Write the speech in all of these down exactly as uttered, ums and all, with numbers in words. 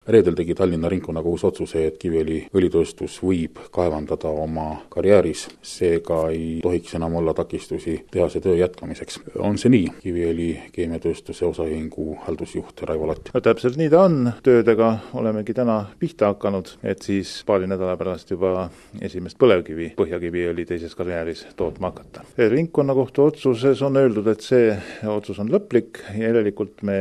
Reedel tegi Tallinna ringkonnakohus otsuse, et Kiviõli õlitööstus võib kaevandada oma karjääris, seega ei tohiks enam olla takistusi tehase töö jätkamiseks. On see nii? Kiviõli keemiatööstuse osaühingu haldusjuht Raivo Lott. No, täpselt nii ta on. Töödega olemegi täna pihta hakanud, et siis paari nädala pärast juba esimest põlevkivi Põhjakiviõli teises karjääris tootma hakata. Ringkonnakohtu otsuses on öeldud, et see otsus on lõplik ja järelikult me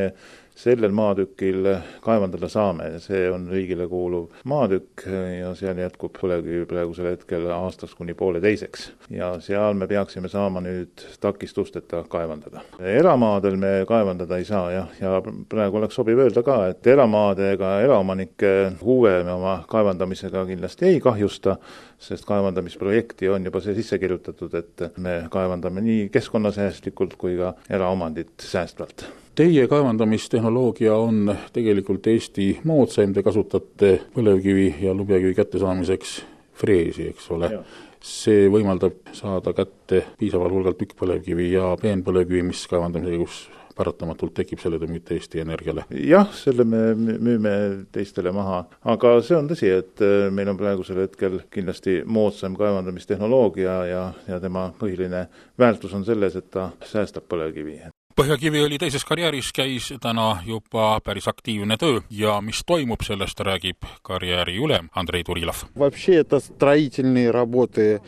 sellel maatükil kaevandada saame. See on riigile kuuluv maatükk ja seal jätkub põlevkivi praegusel hetkel aastaks kuni poole teiseks. Ja seal me peaksime saama nüüd takistusteta kaevandada. Eramaadel me kaevandada ei saa ja, ja praegu oleks sobiv öelda ka, et eramaade ega eraomanike huve me oma kaevandamisega kindlasti ei kahjusta, sest kaevandamisprojekti on juba see sisse kirjutatud, et me kaevandame nii keskkonnasäästlikult kui ka eraomandit säästvalt. Teie kaevandamistehnoloogia on tegelikult Eesti moodsaim, te kasutate põlevkivi ja lubjakivi kättesaamiseks freesi, eks ole. Ja. See võimaldab saada kätte piisaval hulgal tükkpõlevkivi ja peenpõlevkivi, mis kaevandamise käigus paratamatult tekib, selle te müüte Eesti Energiale. Jah, selle me müüme teistele maha, aga see on tõsi, et meil on praegusel hetkel kindlasti moodsam kaevandamistehnoloogia ja, ja tema põhiline väärtus on selles, et ta säästab põlevkivi. Põhjakiviõli teises karjääris käis täna juba päris aktiivne töö ja mis toimub, sellest räägib karjääri ülem Andrei Turilov. Вообще это строительные работы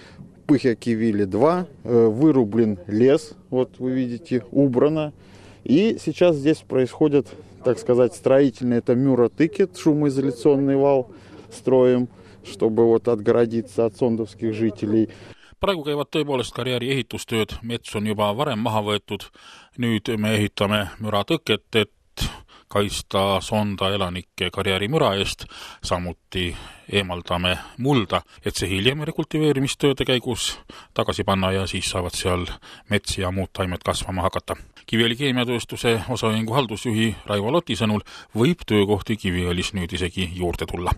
Põhjakiviõli два, вырублен лес, вот вы видите, убрано. И сейчас здесь происходит, так сказать, строительный, это мюротыкет, шумоизоляционный вал строим, чтобы вот отгородиться от сондовских жителей. Praegu käivad tõepoolest karjääri ehitustööd, mets on juba varem maha võetud, nüüd me ehitame müratõket, et kaista sonda elanike karjääri müra eest, samuti eemaldame mulda, et see hiljem rekultiveerimistööde käigus tagasi panna ja siis saavad seal mets ja muud taimed kasvama hakata. Kiviõli keemiatööstuse osaühingu haldusjuhi Raivo Loti sõnul võib töökohti Kiviõlis nüüd isegi juurde tulla.